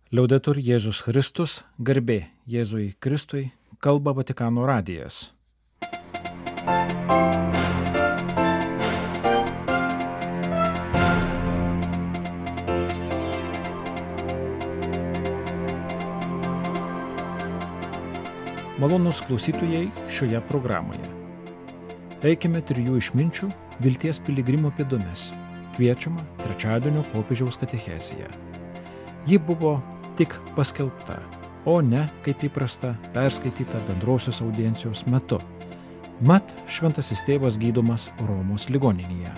Liaudetur Jėzus Kristus, garbė Jėzui Kristui, kalba Vatikano radijas. Malonūs klausytojai šioje programoje. Eikime trijų išminčių vilties piligrimų pėdomis. Kviečiama trečiadienio popiežiaus katechezija. Ji buvo tik paskelbta, o ne, kaip įprasta, perskaityta bendrosios audiencijos metu. Mat, šventasis tėvas gydomas Romos ligoninėje.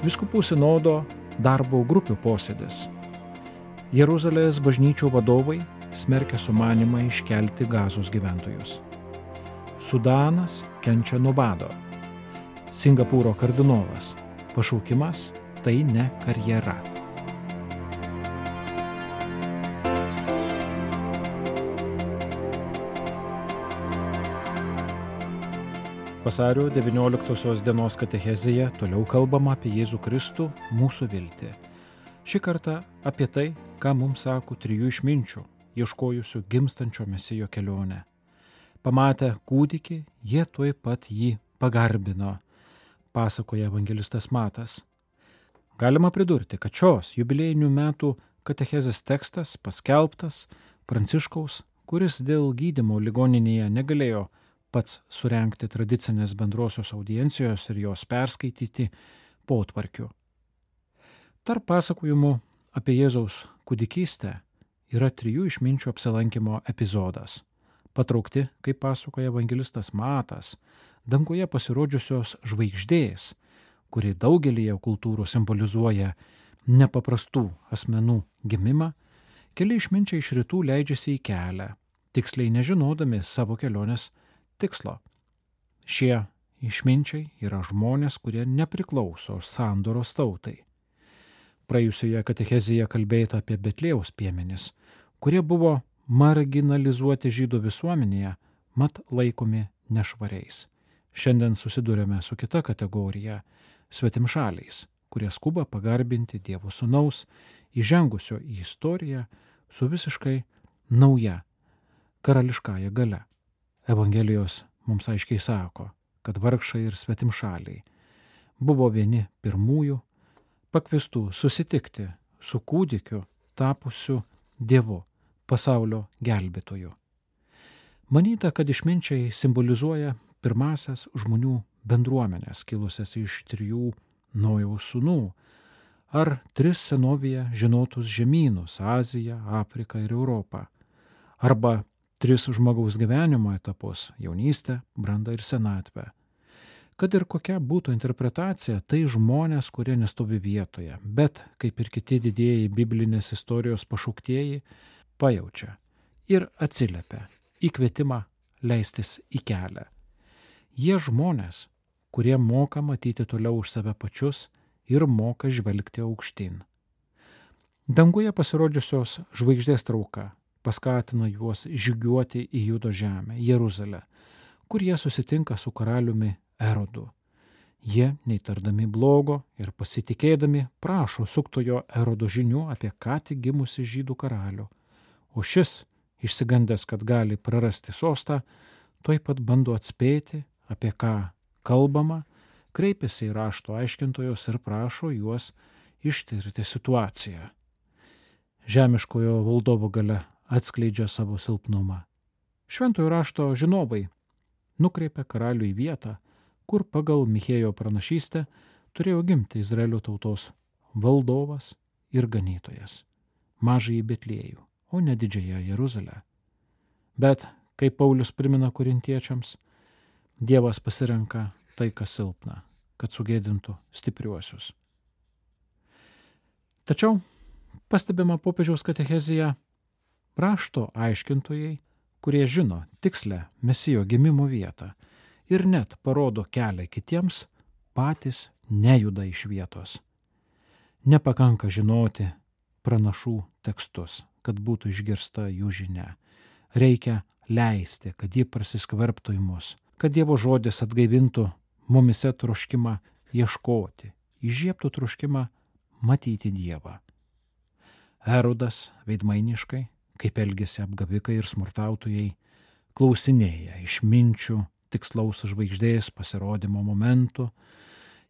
Vyskupų sinodo darbo grupių posėdis. Jeruzalės bažnyčių vadovai smerkia sumanimą iškelti Gazos gyventojus. Sudanas kenčia nuo bado. Singapūro kardinolas. Pašaukimas tai ne karjera. Vasario 19 dienos katechezėje toliau kalbama apie Jėzų Kristų, mūsų viltį. Šį kartą apie tai, ką mums sako trijų išminčių, ieškojusių gimstančio Mesijo kelionę. Pamatę kūdikį, jie tuoj pat jį pagarbino, pasakoja evangelistas Matas. Galima pridurti, kad šios jubiliejinių metų katechezės tekstas paskelbtas Pranciškaus, kuris dėl gydymo ligoninėje negalėjo pats surengti tradicinės bendrosios audiencijos ir jos perskaityti potvarkiu. Tarp pasakojimų apie Jėzaus kūdikystę yra trijų išminčių apsilankimo epizodas. Patraukti, kaip pasakoja evangelistas Matas, danguje pasirodžiusios žvaigždės, kuri daugelyje kultūrų simbolizuoja nepaprastų asmenų gimimą, keli išminčiai iš rytų leidžiasi į kelią, tiksliai nežinodami savo kelionės tikslo. Šie išminčiai yra žmonės, kurie nepriklauso sandoros tautai. Praėjusioje katechezėje kalbėta apie Betliejaus piemenis, kurie buvo marginalizuoti žydų visuomenėje, mat laikomi nešvariais. Šiandien susidurėme su kita kategorija – svetimšaliais, kurie skuba pagarbinti Dievo sūnaus, įžengusio į istoriją su visiškai nauja karališkąja galia. Evangelijos mums aiškiai sako, kad vargšai ir svetimšaliai buvo vieni pirmųjų pakviestų susitikti su kūdikiu tapusiu Dievu, pasaulio gelbėtoju. Manyta, kad išminčiai simbolizuoja pirmasias žmonių bendruomenės, kilusias iš trijų Nojaus sūnų, ar tris senovėje žinotus žemynus – Aziją, Afriką ir Europą, arba tris žmogaus gyvenimo etapus – jaunystę, brandą ir senatvę. Kad ir kokia būtų interpretacija, tai žmonės, kurie nestovi vietoje, bet, kaip ir kiti didieji biblinės istorijos pašauktieji, pajaučia ir atsiliepia į kvietimą leistis į kelią. Jie žmonės, kurie moka matyti toliau už save pačius ir moka žvelgti aukštyn. Danguje pasirodžiusios žvaigždės trauka paskatina juos žygiuoti į Judo žemę, Jeruzalę, kur jie susitinka su karaliumi Erodu. Jie, neįtardami blogo ir pasitikėdami, prašo suktojo Erodo žinių apie ką tik gimusi žydų karalių, o šis, išsigandęs, kad gali prarasti sostą, tuoj pat bando atspėti, apie ką kalbama, kreipiasi į rašto aiškintojus ir prašo juos ištirti situaciją. Žemiškojo valdovo galia atskleidžia savo silpnumą. Šventojo rašto žinovai nukreipia karalių į vietą, kur pagal Michėjo pranašystę turėjo gimti Izraelio tautos valdovas ir ganytojas, mažąjį Betliejų, o ne didžiąją Jeruzalę. Bet, kaip Paulius primena korintiečiams, Dievas pasirenka tai, kas silpna, kad sugėdintų stipriuosius. Tačiau, pastebima popiežiaus katechezija, rašto aiškintojai, kurie žino tikslę Mesijo gimimo vietą ir net parodo kelią kitiems, patys nejuda iš vietos. Nepakanka žinoti pranašų tekstus, kad būtų išgirsta jų žinia. Reikia leisti, kad ji prasiskverbtų į mus, kad Dievo žodis atgaivintų mumise troškimą ieškoti, įžiebtų troškimą matyti Dievą. Erodas veidmainiškai, kaip elgėsi apgavikai ir smurtautojai, klausinėja išminčių tikslaus žvaigždės pasirodymo momentų,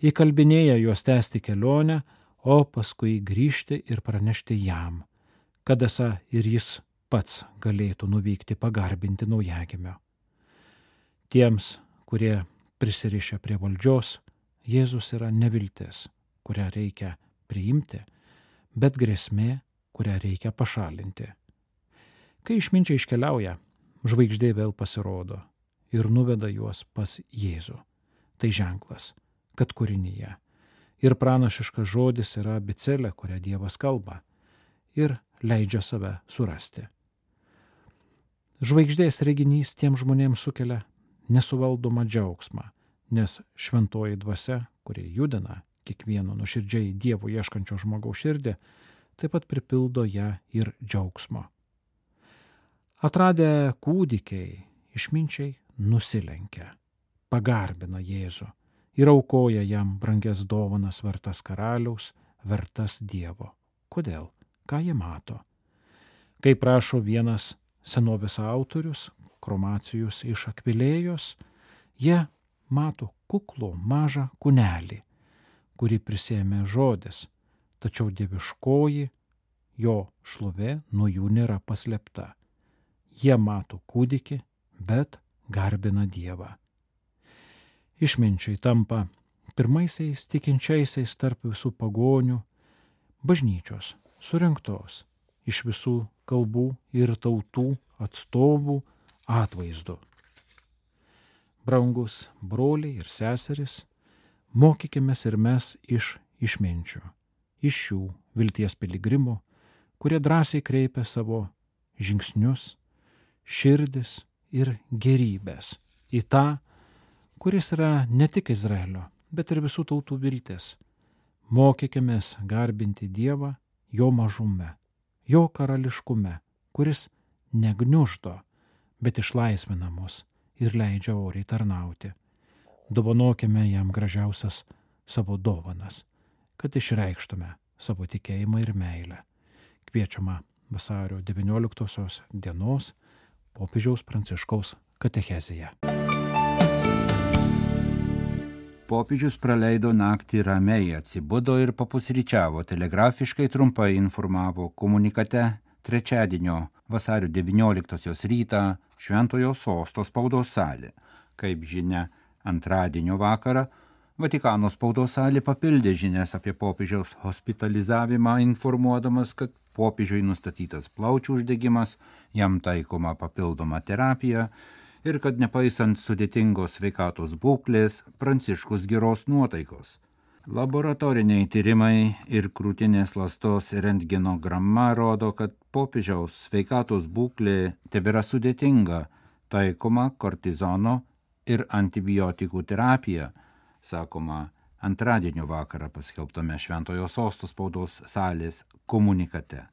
įkalbinėja juos tęsti kelionę, o paskui grįžti ir pranešti jam, kad esą ir jis pats galėtų nuvykti pagarbinti naujagimio. Tiems, kurie prisirišę prie valdžios, Jėzus yra neviltis, kurią reikia priimti, bet grėsmė, kurią reikia pašalinti. Kai išminčiai iškeliauja, žvaigždė vėl pasirodo ir nuveda juos pas Jėzų. Tai ženklas, kad kūrinyje ir pranašiškas žodis yra abėcėlė, kurią Dievas kalba ir leidžia save surasti. Žvaigždės reginys tiem žmonėms sukelia nesuvaldomą džiaugsmą, nes šventoji dvasia, kuri judina kiekvieno nuoširdžiai Dievo ieškančio žmogaus širdį, taip pat pripildo ją ir džiaugsmo. Atradę kūdikiai, išminčiai nusilenkia, pagarbina Jėzų ir aukoja jam brangias dovanas vertas karaliaus, vertas Dievo. Kodėl? Ką jie mato? Kaip rašo vienas senovės autorius, Kromacijus iš Akvilėjos, jie mato kuklų mažą kūnelį, kurį prisėmė žodis, tačiau dieviškoji jo šlovė nuo jų nėra paslėpta. Jie mato kūdikį, bet garbina Dievą. Išminčiai tampa pirmaisiais tikinčiaisiais tarp visų pagonių, bažnyčios surinktos iš visų kalbų ir tautų atstovų atvaizdu. Brangus broliai ir seserys, mokykimės ir mes iš išminčių, iš šių vilties piligrimų, kurie drąsiai kreipia savo žingsnius, širdis ir gerybės į tą, kuris yra ne tik Izraelio, bet ir visų tautų viltis. Mokykimės garbinti Dievą jo mažume, jo karališkume, kuris negniuždo, bet išlaisvina mus ir leidžia oriai tarnauti. Dovanokime jam gražiausias savo dovanas, kad išreikštume savo tikėjimą ir meilę. Kviečiama vasario 19 dienos popiežiaus Pranciškaus katechezija. Popiežius praleido naktį ramiai, atsibudo ir papusryčiavo, telegrafiškai trumpai informavo komunikate trečiadienio vasario 19 rytą Šventojo Sosto spaudos salė. Kaip žinia, antradienio vakarą Vatikano spaudos salė papildė žinias apie popiežiaus hospitalizavimą, informuodamas, kad popiežiui nustatytas plaučių uždegimas, jam taikoma papildoma terapija ir kad nepaisant sudėtingos sveikatos būklės, Pranciškus geros nuotaikos. Laboratoriniai tyrimai ir krūtinės ląstos rentgenogramma rodo, kad popiežiaus sveikatos būklė tebėra sudėtinga, taikoma kortizono ir antibiotikų terapija, sakoma antradienio vakarą paskelbtame Šventojo Sosto spaudos salės komunikate.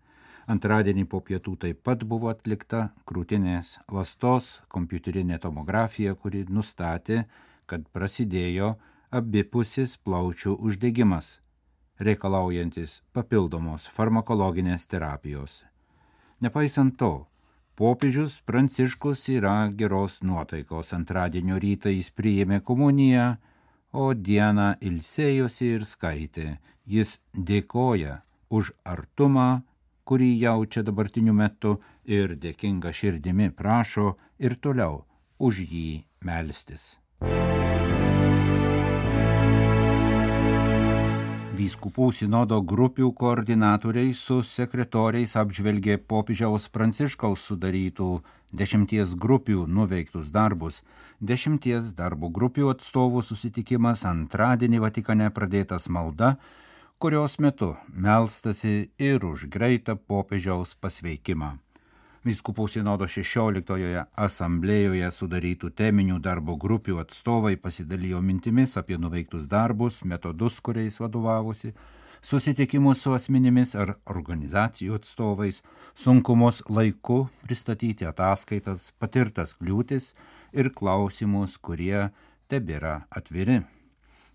Antradienį po pietų taip pat buvo atlikta krūtinės ląstos kompiuterinė tomografija, kuri nustatė, kad prasidėjo abipusis plaučių uždegimas, reikalaujantis papildomos farmakologinės terapijos. Nepaisant to, popiežius Pranciškus yra geros nuotaikos. Antradienio rytą jis priėmė komuniją, o dieną ilsėjosi ir skaitė. Jis dėkoja už artumą, kurį jaučia dabartiniu metu, ir dėkinga širdimi prašo ir toliau už jį melstis. Vyskupų sinodo grupių koordinatoriai su sekretoriais apžvelgė popiežiaus Pranciškaus sudarytų 10 grupių nuveiktus darbus. 10 darbo grupių atstovų susitikimas antradienį Vatikane pradėtas malda, kurios metu melstasi ir už greitą popiežiaus pasveikimą. Vyskupų sinodo 16 asamblėjoje sudarytų teminių darbo grupių atstovai pasidalijo mintimis apie nuveiktus darbus, metodus, kuriais vadovavosi, susitikimus su asmenimis ar organizacijų atstovais, sunkumus laiku pristatyti ataskaitas, patirtas kliūtis ir klausimus, kurie tebėra atviri.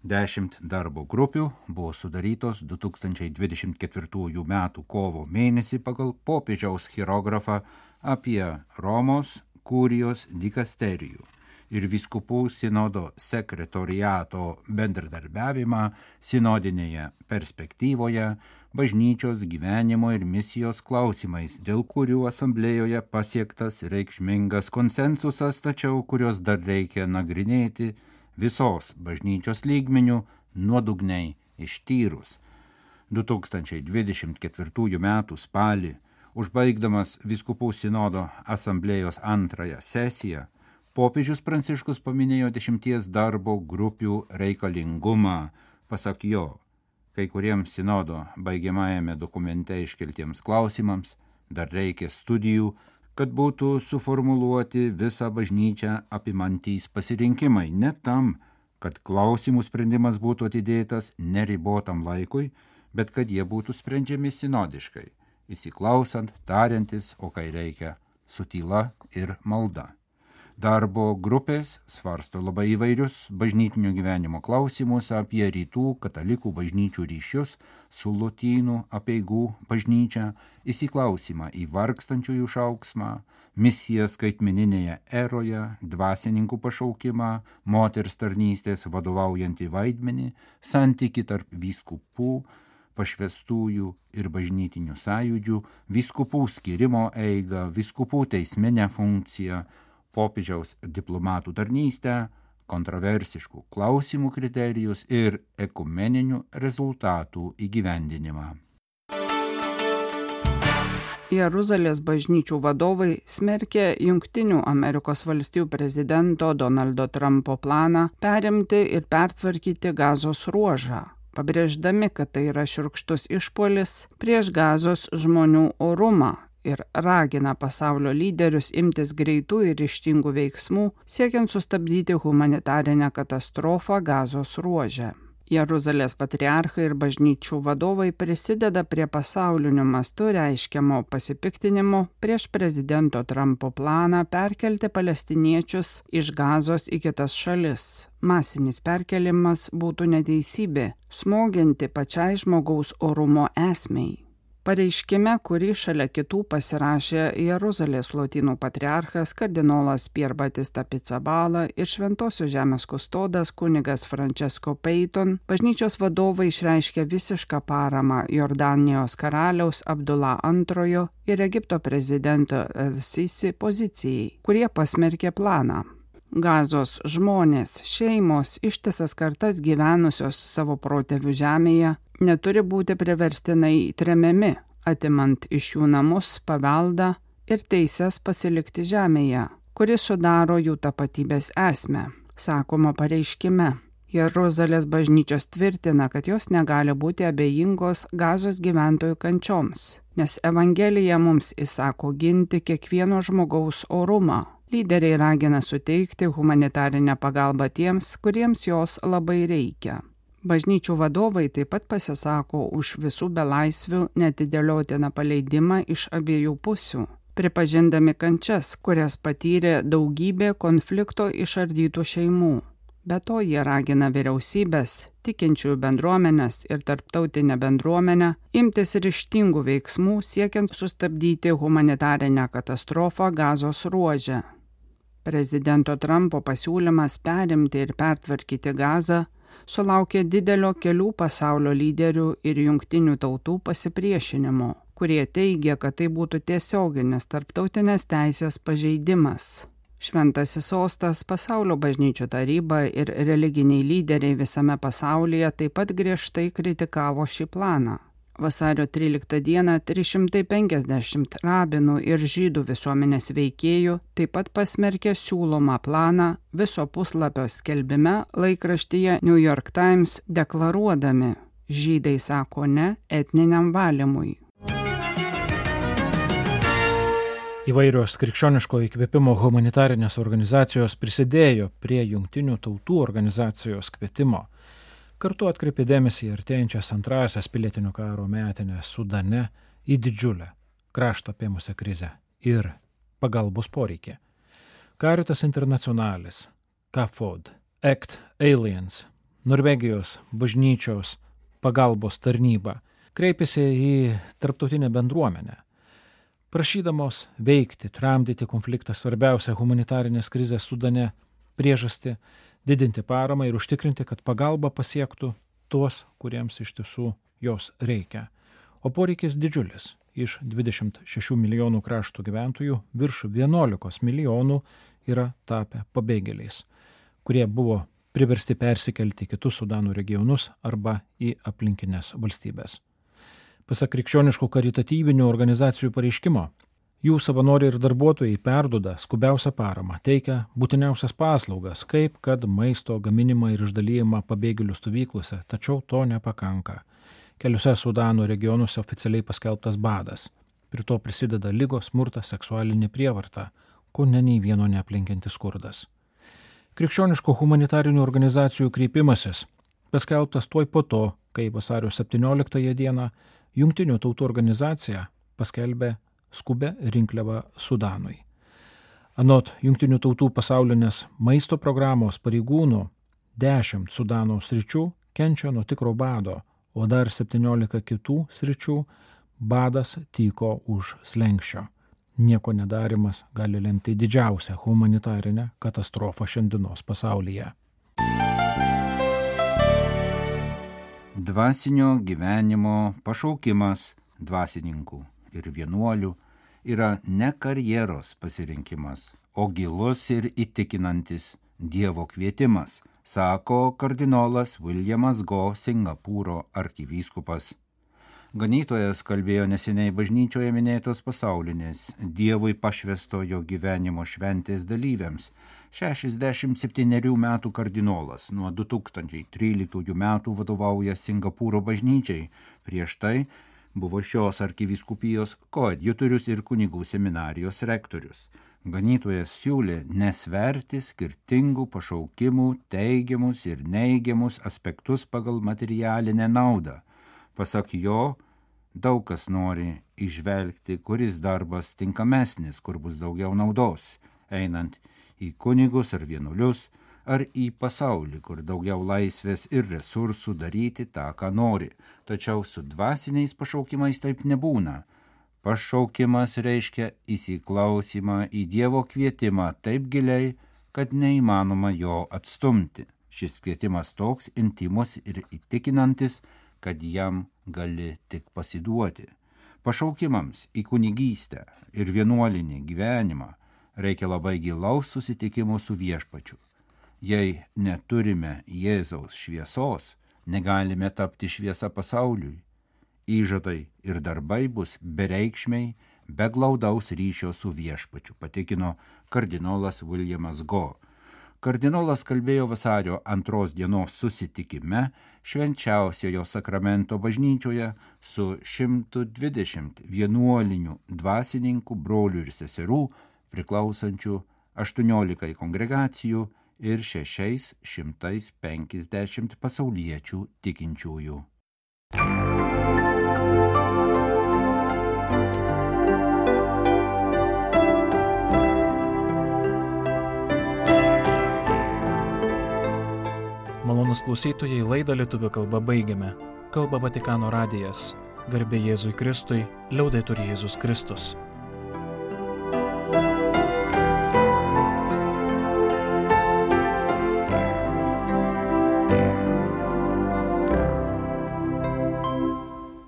10 darbo grupių buvo sudarytos 2024 m. kovo mėnesį pagal popiežiaus hierografą apie Romos kurijos dikasterijų ir vyskupų sinodo sekretoriato bendradarbiavimą sinodinėje perspektyvoje, bažnyčios gyvenimo ir misijos klausimais, dėl kurių asamblėjoje pasiektas reikšmingas konsensusas, tačiau kurios dar reikia nagrinėti visos bažnyčios lygmenių nuodugniai ištyrus. 2024 m. spalį, užbaigdamas vyskupų sinodo asamblėjos antrąją sesiją, popiežius Pranciškus paminėjo 10 darbo grupių reikalingumą. Pasak jo, kai kuriems sinodo baigiamajame dokumente iškeltiems klausimams dar reikia studijų, kad būtų suformuluoti visą bažnyčią apimantys pasirinkimai, ne tam, kad klausimų sprendimas būtų atidėtas neribotam laikui, bet kad jie būtų sprendžiami sinodiškai, įsiklausant, tariantis, o kai reikia, su tyla ir malda. Darbo grupės svarsto labai įvairius bažnytinio gyvenimo klausimus apie rytų katalikų bažnyčių ryšius su lotynų apeigų bažnyčia, įsiklausimą į vargstančiųjų šauksmą, misiją skaitmeninėje eroje, dvasininkų pašaukimą, moters tarnystės vadovaujantį vaidmenį, santykį tarp vyskupų, pašvestųjų ir bažnytinių sąjūdžių, vyskupų skyrimo eigą, vyskupų teisminę funkciją, popiežiaus diplomatų tarnystę, kontroversiškų klausimų kriterijus ir ekumeninių rezultatų įgyvendinimą. Jeruzalės bažnyčių vadovai smerkė Jungtinių Amerikos valstijų prezidento Donaldo Trumpo planą perimti ir pertvarkyti Gazos ruožą, pabrėždami, kad tai yra šiurkštus išpuolis prieš Gazos žmonių orumą ir ragina pasaulio lyderius imtis greitų ir ryžtingų veiksmų, siekiant sustabdyti humanitarinę katastrofą Gazos ruože. Jeruzalės patriarchai ir bažnyčių vadovai prisideda prie pasauliniu mastu reiškiamo pasipiktinimo prieš prezidento Trumpo planą perkelti palestiniečius iš Gazos į kitas šalis. Masinis perkelimas būtų neteisybė, smogianti pačiai žmogaus orumo esmei. Pareiškime, kurį šalia kitų pasirašė Jeruzalės lotynų patriarchas kardinolas Pier Batista Pizzaballa ir Šventosios žemės kustodas kunigas Francesco Peyton, bažnyčios vadovai išreiškė visišką paramą Jordanijos karaliaus Abdullah II ir Egipto prezidento Sisi pozicijai, kurie pasmerkė planą. Gazos žmonės, šeimos, ištisas kartas gyvenusios savo protėvių žemėje neturi būti priverstinai tremiami, atimant iš jų namus, paveldą ir teises pasilikti žemėje, kuri sudaro jų tapatybės esmę, sakoma pareiškime. Jeruzalės bažnyčios tvirtina, kad jos negali būti abejingos Gazos gyventojų kančioms, nes Evangelija mums įsako ginti kiekvieno žmogaus orumą. Lyderiai ragina suteikti humanitarinę pagalbą tiems, kuriems jos labai reikia. Bažnyčių vadovai taip pat pasisako už visų belaisvių neatidėliotiną paleidimą iš abiejų pusių, pripažindami kančias, kurias patyrė daugybė konflikto išardytų šeimų. Be to jie ragina vyriausybės, tikinčiųjų bendruomenės ir tarptautinę bendruomenę imtis ryžtingų veiksmų siekiant sustabdyti humanitarinę katastrofą Gazos ruože. Prezidento Trumpo pasiūlymas perimti ir pertvarkyti Gazą sulaukė didelio kelių pasaulio lyderių ir jungtinių tautų pasipriešinimo, kurie teigia, kad tai būtų tiesioginis tarptautinės teisės pažeidimas. Šventasis sostas, pasaulio bažnyčių taryba ir religiniai lyderiai visame pasaulyje taip pat griežtai kritikavo šį planą. Vasario 13 dieną 350 rabinų ir žydų visuomenės veikėjų taip pat pasmerkė siūlomą planą viso puslapio skelbime laikraštyje New York Times, deklaruodami: žydai sako ne etniniam valymui. Įvairios krikščioniško įkvėpimo humanitarinės organizacijos prisidėjo prie Jungtinių tautų organizacijos kvietimo. Kartu atkreipė dėmesį į artėjančias antrąsias pilietinio karo metinės Sudane į didžiulę kraštą apėmusią krizę ir pagalbos poreikį. Caritas Internationalis, CAFOD, ACT Aliens, Norvegijos bažnyčios pagalbos tarnyba kreipėsi į tarptautinę bendruomenę, prašydamos veikti, tramdyti konfliktą svarbiausią humanitarinės krizės Sudane priežastį, didinti paramą ir užtikrinti, kad pagalba pasiektų tuos, kuriems iš tiesų jos reikia. O poreikis didžiulis. Iš 26 milijonų krašto gyventojų virš 11 milijonų yra tapę pabėgėliais, kurie buvo priversti persikelti į kitus Sudano regionus arba į aplinkinės valstybės. Pasak krikščioniškų karitatyvinių organizacijų pareiškimo, jų savanoriai ir darbuotojai perduoda skubiausią paramą, teikia būtiniausias paslaugas, kaip kad maisto gaminimą ir išdalijimą pabėgėlių stovyklose, tačiau to nepakanka. Keliuose Sudano regionuose oficialiai paskelbtas badas. Prie to prisideda ligos, smurtas, seksualinė prievarta, ko nei vieno neaplinkiantis skurdas. Krikščioniškų humanitarinių organizacijų kreipimasis paskelbtas tuoj po to, kai vasario 17 dieną Jungtinių tautų organizacija paskelbė skubę rinkliavą Sudanui. Anot Jungtinių tautų pasaulinės maisto programos pareigūnų 10 Sudano sričių kenčia nuo tikro bado, o dar 17 kitų sričių badas tyko už slenksčio. Nieko nedarimas gali lemti didžiausią humanitarinę katastrofą šiandienos pasaulyje. Dvasinio gyvenimo pašaukimas dvasininkų ir vienuolių yra ne karjeros pasirinkimas, o gilus ir įtikinantis Dievo kvietimas, sako kardinolas Williamas Go, Singapūro arkivyskupas. Ganytojas kalbėjo neseniai bažnyčioje minėtos pasaulinės Dievui pašvęstojo gyvenimo šventės dalyviams. 67 metų kardinolas nuo 2013 metų vadovauja Singapūro bažnyčiai. Prieš tai buvo šios arkivyskupijos koadjutorius ir kunigų seminarijos rektorius. Ganytojas siūlė nesverti skirtingų pašaukimų, teigiamus ir neigiamus aspektus pagal materialinę naudą. Pasak jo, daug kas nori įžvelgti, kuris darbas tinkamesnis, kur bus daugiau naudos, einant į kunigus ar vienuolius, ar į pasaulį, kur daugiau laisvės ir resursų daryti tą, ką nori. Tačiau su dvasiniais pašaukimais taip nebūna. Pašaukimas reiškia įsiklausimą į Dievo kvietimą taip giliai, kad neįmanoma jo atstumti. Šis kvietimas toks intimus ir įtikinantis, kad jam gali tik pasiduoti. Pašaukimams į kunigystę ir vienuolinį gyvenimą reikia labai gilaus susitikimo su Viešpačiu. Jei neturime Jėzaus šviesos, negalime tapti šviesa pasauliui. Įžadai ir darbai bus bereikšmiai, be glaudaus ryšio su Viešpačiu, patikino kardinolas Williamas Go. Kardinolas kalbėjo vasario 2 dienos susitikime Švenčiausiojo sakramento bažnyčioje su 120 vienuolinių dvasininkų, brolių ir seserų, priklausančių 18 kongregacijų ir 650 pasauliečių tikinčiųjų. Malonūs klausytojai, laidą lietuvių kalba baigiame. Kalba Vatikano radijas. Garbė Jėzui Kristui, liaudetur Jėzus Kristus.